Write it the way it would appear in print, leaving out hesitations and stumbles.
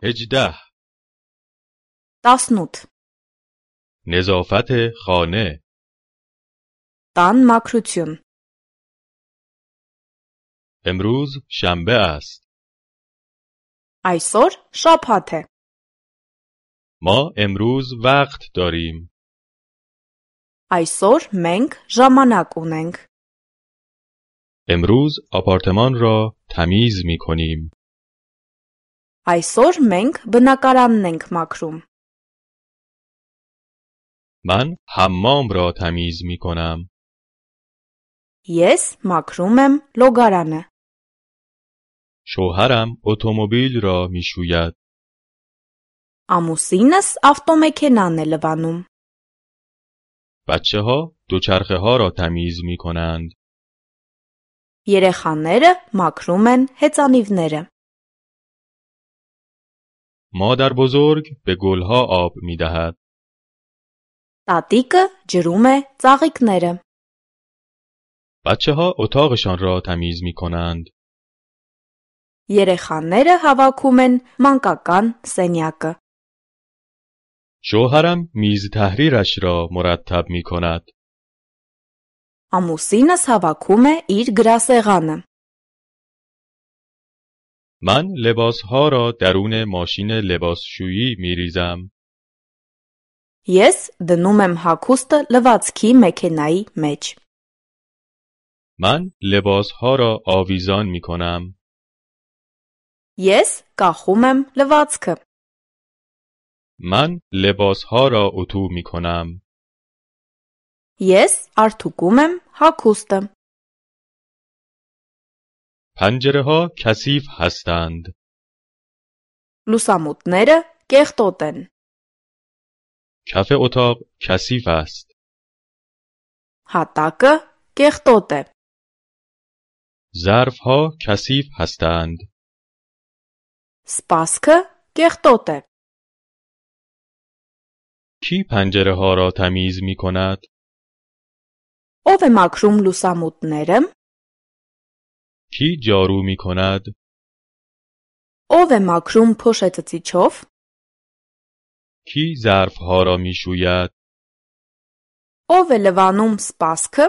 هجده 18 نظافت خانه տան մաքրություն امروز شنبه است. այսօր շաբաթ է ما امروز وقت داریم. այսօր մենք ժամանակ ունենք امروز آپارتمان را تمیز می کنیم. այսօր մենք բնակարանն ենք մաքրում من حمام را تمیز می کنم. ես մաքրում եմ լոգարանը شوهرم اتومبیل را می شوید. ամուսինս ավտոմեքենան է լվանում بچه ها دوچرخه ها را تمیز می کنند. երեխաները մաքրում են հեծանիվները مادر بزرگ به گلها آب می دهد. տատիկը ջրում է ծաղիկները بچه ها اتاقشان را تمیز می کنند. երեխաները հավաքում են մանկական սենյակը شوهرم میز تحریرش را مرتب می کند. ամուսինս հավաքում է իր գրասեղանը من لباسها را درون ماشین لباسشویی می ریزم. ես դնում եմ հագուստը լվացքի մեքենայի մեջ من لباسها را آویزان می کنم. ես կախում եմ լվացքը من لباسها را اتو می کنم. ես արթուկում եմ հագուստը پنجره ها کثیف هستند. լուսամուտները կեղտոտ են کف اتاق کثیف است. հատակը կեղտոտ է ظرف ها کثیف هستند. սպասքը կեղտոտ է کی پنجره ها را تمیز می کند؟ ով է մաքրում լուսամուտները کی جارو می کند؟ ով է մաքրում փոշեցծիչով کی ظرف ها را می شوید؟ ով է լվանում սպասքը